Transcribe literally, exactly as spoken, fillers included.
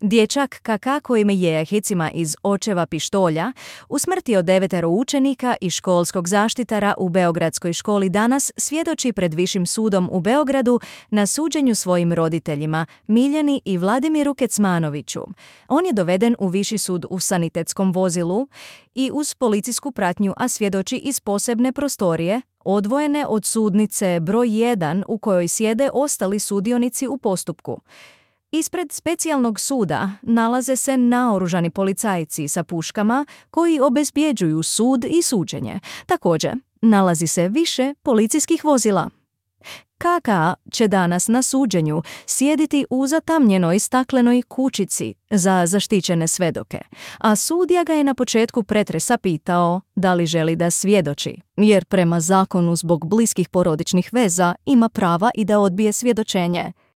Dječak Kaka kojim je hicima iz očeva pištolja usmrtio devetero učenika i školskog zaštitara u Beogradskoj školi danas svjedoči pred Višim sudom u Beogradu na suđenju svojim roditeljima Miljani i Vladimiru Kecmanoviću. On je doveden u Viši sud u sanitetskom vozilu i uz policijsku pratnju, a svjedoči iz posebne prostorije, odvojene od sudnice broj jedan u kojoj sjede ostali sudionici u postupku. Ispred specijalnog suda nalaze se naoružani policajci sa puškama koji obezbjeđuju sud i suđenje. Također, nalazi se više policijskih vozila. Kaka će danas na suđenju sjediti u zatamnjenoj staklenoj kućici za zaštićene svedoke, a sudija ga je na početku pretresa pitao da li želi da svjedoči, jer prema zakonu zbog bliskih porodičnih veza ima prava i da odbije svjedočenje.